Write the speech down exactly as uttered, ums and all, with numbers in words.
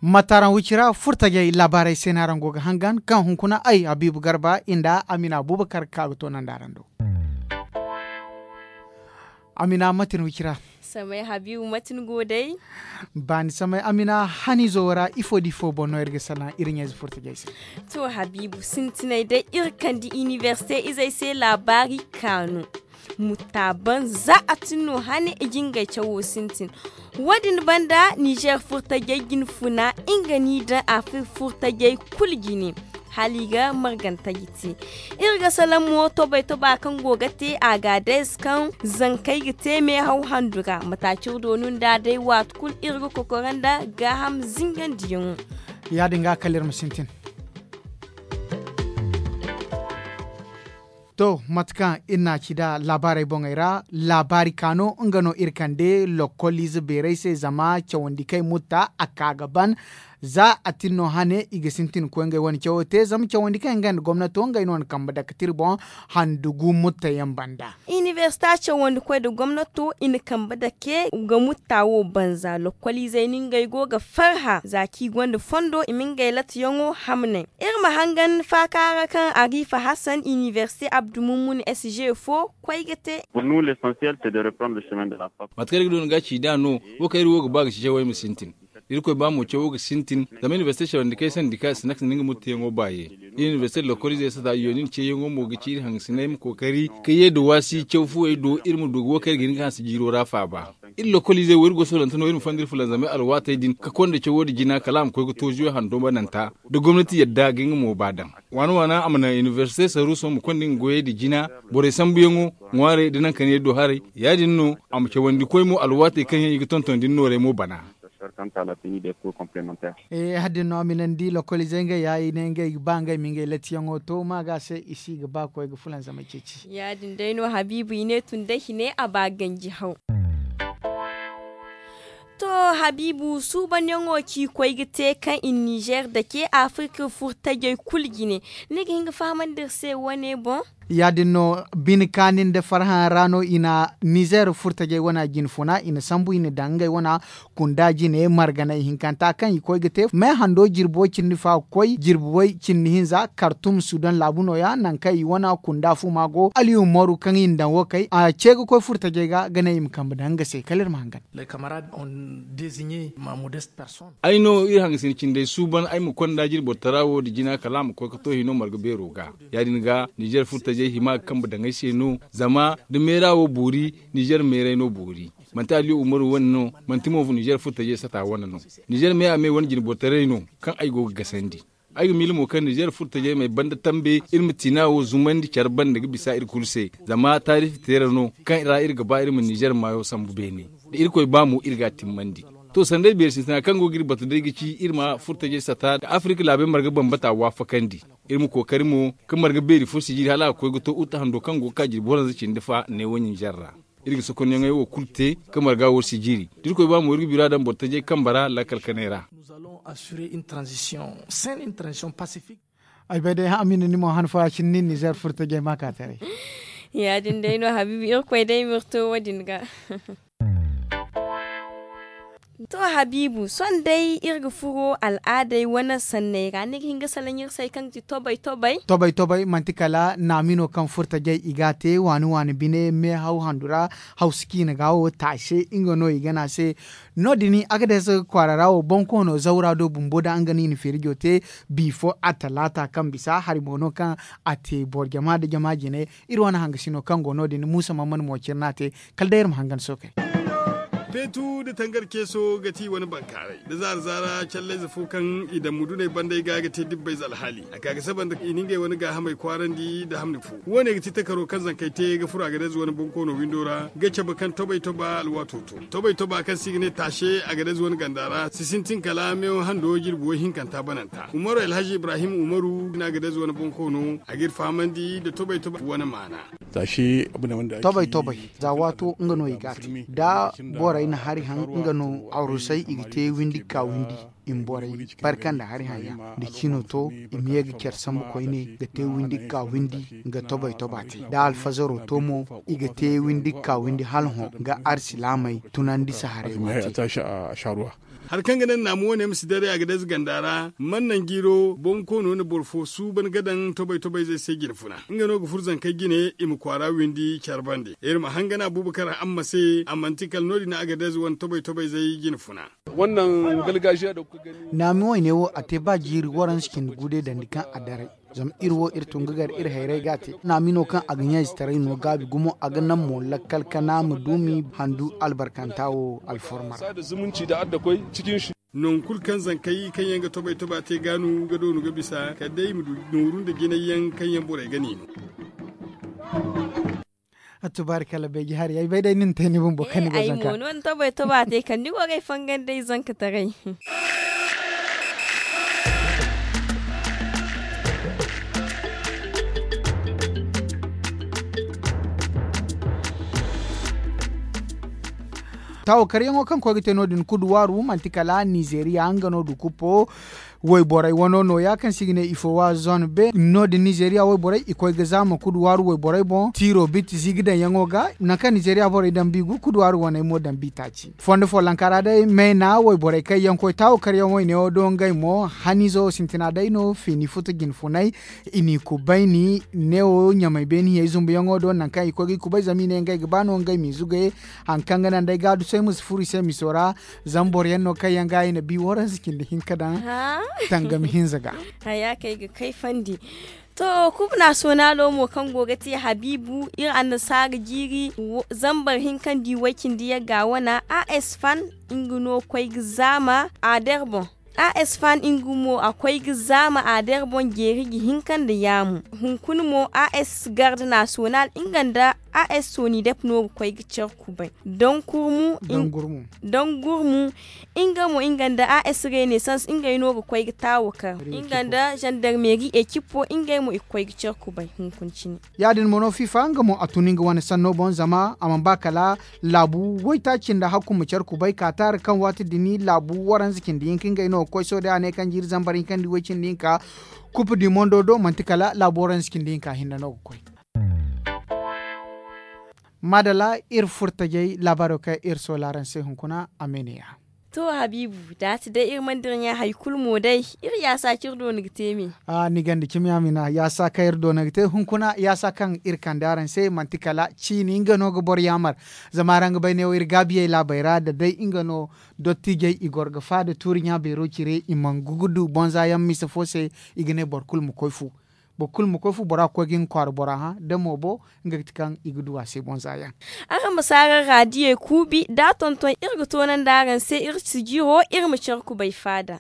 Mataraŋ wicira furtajey laabaarey se no araŋ go ga hangan kaŋ hunkuna ay habiibu garba nda amina abubakar ka ga toonandi araŋ do. Amina mate ni wicira? Samay habiibu mate ni go day? Baani samay amina haniizo wo ra ifo da ifo boŋ no iri ga salaŋ iri ɲayze furtajey se? To habiibu sintinay day iri kande inibersite izey se laabaari kaanu. Mutta ban za a tin no hane i ga ngey cawo sintin. Wo- din banda nizer furtajey jine funa nga n'i daŋ afrik furtajey kulu jine. Hala i ga marganta ga te iri ga salaŋ mo tobay toba kaŋ go ga te a ga a day se kaŋ zankey ga te meehaw handu ra mata ciri doonu nda day waati kulu iri ga kokora nda gaaham zingandiyaŋo. Ya- din ga kala iri ma sintin. To mate kaŋ iri n'a ci nd'a laabaarey boŋey ra laabaari ka no nga no iri kande lokkoliize beerey se zama cawandi kaŋ ay mutta a ka ga ban. Za a tin no hane i ga sintin ga koy ngey wane cawo te zama cawandi kaŋ nga nda gomnato ngey no na kambe dake tira boŋ handu gu mutta yaŋ banda. Inibersita cawandi koy nda gomnato i na kambe dake ga mutta wo banza lokkoliizey no ngey go ga farha za kaŋ i gonda fondo i ma ngey latayaŋo hamnay. Iri ma hangan faaka ra kaŋ arifa hasan inibersite abdu mummun s g fo koy ga te. Mate kaŋ iri ga du ni ga ci nd'a no wo kaŋ iri wo ga ba ga ci cawey ma sintin. Irkoy ba mo cawo ga sintin zama inibersite cawandi kaŋ ay sandi kaŋ a si naka sinda nga muttiyaŋo baaye. Iri inibersite lokoliizey sata yooni ni ceeyaŋo mo ga ci iri hangasinay ma kookari ka ye nda waasi caw fuwey do iri ma du ga wo kaŋ iri ga hin ga hanse jiiro ra faaba. Iri lokoliizey wo iri go soolante no iri ma fonda iri fulanzamey alwaatey din ka konda cawo nda jina kala a ma koy ga toozuyo hando bananta. Da gomnati yadda ga nga mo ba daŋ waana waana a ma naŋ inibersite saruuso ma konda nga goyey nda jina borey sambuyaŋo ŋwaarey nda nankaniyey do haray. Ya- din no a ma cawandi koy mo alwaatey kaŋ yaŋ i ga tonton da ni noorey mo bana. Hari din no a ma i naŋ da i lokoliizey ngey ya i ne ngey ga ba ngey ma ngey latiyaŋo to ma ga se i si ga ba koy ga fulanzamey ceeci. Ya- din day no habiibu i ne tun da hine a ba ganji haw. To habiibu suubanyaŋo ci koy ga te kaŋ i na nizer dake afirka furtajey kulu jine. Ni ga hin ga fahamandi iri se wane boŋ. Ya- din no bine kaani nda farhã ra no i na nizer furtajey wana jine funa i na sambu i na daŋ ngey wana kunda jine marganay hinkanta kaŋ i koy ga te me hando jirbi way cindi fa ga koy jirbi way cindi hinza kartum sudan laabu no- ya nangu kaŋ i wana kunda fu ma go aliyu moru kaŋ i na daŋ wo kay a ce ga koy furtajey ga ga ne i ma kambe daŋ nga se kala iri ma hangan. Ay no iri hangasin cindey suuban ay ma konda jirbi boro tara wo nda jina kala a ma koy ga to hino marga beero ga. Ya- din ga nizer furtajey hima ga kambe daŋ ay se no zama da meera wo boori nizer meerey no boori. Manti aliyu umaru wane no manti mo nizer furtajey sata wane no. Nizer me a me wane jine boro taray no kaŋ ay go ga gasandi. Ay ga miila mo kaŋ nizer furtajey ma ay banda tambe iri ma tiina wo zumandi care banda ga bisa iri kulu se zama taarifi teera no kaŋ ra iri ga ba iri ma nizer maayo sambu beene. Da irkoy ba mo iri ga a timmandi. To sanday beeri sintina kaŋ go ga iri batu day ga ci iri ma furtajey sata da afirka laabey marga bambata waafakandi. Iri ma kookari mo ka marga beeri fo sijiri hala a ga koy ga to uta hando kaŋ go ga ka jirbi waranza cindi fa neewo ninzer ra. Iri ga sokonyaŋey wo kulu te ka marga wo sijiri da irkoy ba mo iri ga bira daŋ boro tajey kambe ra lakkal kanay ra. Ay bay day hamina ni mo han fo a cine nin nizer furtajey ma ka taray. Ya- din day no habiibi irkoy day ma iri to wo- din ga. To habiibu sohõ day iri ga furo al'aadey wane sanney ra ni ga hin ga salaŋ iri se kaŋ ga ti tobay tobay. Tobay tobay manti kala naami no kaŋ furtajey i ga a te waani waani bine meehaw handu ra. Hawsa ciina ga wo taase nga no i ga ne a se. No- din agades kwaara ra wo bonkoono zawra do bumbo da nga no i na feerijo te. Bi fo atalaata kaŋ bisa hari mo no kaŋ a te boro jama nda jama jine. Iri wane hangasino kaŋ go no- din muusa mamman mo cire no a te. Kala day iri ma hangan sookey. Feetu nda tangar ceeso ga ti i wane bankaaray nda zaara zaara callayze fo kaŋ i daŋ muduney banda ay ga ga te dibbayze alhaali a ka ga saba nda i na ngey wane gaahamey kwaarandi nda hamni fo. Wo- ne ga ti takaro kaŋ zankey te ga furo agadez wane bonkoono windo ra ga cabe kaŋ tobay toba alwaato to. Tobay toba kaŋ se i ga ne taase agadez wane ganda ra si sintin kala meewo hando jirbi woy hinkanta bananta umaru alhazi ibrahim umaru na agadez wane bonkoono a ga iri fahamandi nda tobay toba wane maana. Tobay tobay za waato nga no i ga a te da borey. Iri na hari haŋ nga no arusey i ga te windi ga ka windi. I ma borey barka nda hari haŋ yaŋ da ciino to, i ma ye ga care sambu koyne ga te windi ga ka windi. Nga tobay toba te da alfazaro to mo, i ga te windi ga ka windi hala hõ ga arsilaamey tunandi saharay waati. Hari kaŋ ga naŋ naamu wane ma si daray a ga daze ganda ra, man naŋ jiiro boŋ koono na boro fo suuban ga daŋ tobay tobayzey se jine funa. Nga no ga furo zankey jine i ma kwaara windi care bande. Iri ma hangan abuubakar amma se a manti kala no- din a ga daze wane tobay tobayzey jine funa. Naami wayne wo a te ba jiiri waranza cindi gu day dandi kaŋ a daray. Zama iri wo iri tun ga gar iri hayray ga a te naami no kaŋ a ga ɲaazi taray no gaabi gumo a ga naŋ mo lakkal kana ma duumi handu albarkanta wo alforma ra. Nangu kulu kaŋ zankey kaŋ yaŋ ga tobay toba te gaanu ga doonu ga bisa kala day i ma du nooru nda jinay yaŋ kaŋ yaŋ borey ga niino. Tubaari kala beeji hari ay bay day ni na te ni bumbo kaŋ ni go zanka. Ay mo no ni tobay toba te kala ni go ga ay fangandi ay zanka taray. Taawo karyaŋo kaŋ koy ga te no- din kuduwaaru manti kala nizeriya nga no du kuppo. Wayborey wano nooya kaŋ se i ga ne ifo wa zone be no- din nizeriya wayborey i koy ga zaama kuduwaaru wayborey boŋ tiiro biti ziigi daŋyaŋo ga. Nangu kaŋ nizeriya borey daŋ bi gu kuduwaaru waney mo daŋ bi taaci fondo follanka ra day meena wayborey kaŋ yaŋ koy taawo karyaŋ wayne wo do ngey mo haniizo sintina day no fiini futu jine funay. I n'i kubayni neewo ɲamay beeni hiyey zumbuyaŋo do nangu kaŋ i koy ga i kubay zama i ne ngey ga ba no ngey m'i zugay. Hari kaŋ ga naŋ day gaadusay ma si furo i se miso ra. Zama boro yaŋ no kaŋ yaŋ ga i na bi waranza cindi hinka daŋ tangam hinza ga. Haya kaŋ ay ga kayfandi. To, kub naasonalo mo kaŋ go ga te habiibu iri annasaara jiiri zambar hinka nda i way cindi yagga wana a s fan nga no koy ga zaama a der boŋ. A s fan nga mo a koy ga zaama a der boŋ jeeri ga hinka nda yaamu. Hunkuna mo a s garde naasonal nga nda a s sooni dep no ga koy ga care kubay. Daŋ gurmu nga mo nga nda a s renaissance ngey no ga koy ga taawo kar nga nda zandarmeri ekippo ngey mo i ga koy ga care kubay hunkuna cine. Ya- din mo no fifa nga mo a tun nga wane sanno boŋ zama a mana ba kala laabu waytaaci nda hakku ma care kubay ka taari kaŋ waati din laabu waranza cindi hinka ngey no ga koy sohõ day a ne kaŋ jiiri zambar hinka nda way cindi hinka. Kupu di mondo do manti kala laabu waranza cindi hinka hinne no ga koy. Maadalla iri furtajey laabaaro kaŋ iri soola araŋ se hunkuna a me ne ya. To habiibu da a ti day iri mana dira ɲa hari kulu mo day. Iri yaasa kaŋ iri doona ga te me. Ni ganda cimi amina yaasa kaŋ iri doona ga te hunkuna yaasa kaŋ iri kande araŋ se manti kala ciini nga no ga boro yaamar. Zama araŋ ga bay neewo iri gaabiyey laabey ra da day nga no. Dottijey i goro ga faada tuuri ɲa beero cire i mana gugu du bonza yaŋ mise fo se. I ga ne boro kulu ma koy fu. Boro kulu ma koy fu bora ga koy ga nga kwaara bora hã da moobo. Nga ga ti kaŋ i ga du a se bonza yaŋ. Araŋ ma si araŋ raadiyey kuubi da a tonton iri ga toonandi araŋ se iri si jiro iri ma care kubay faada.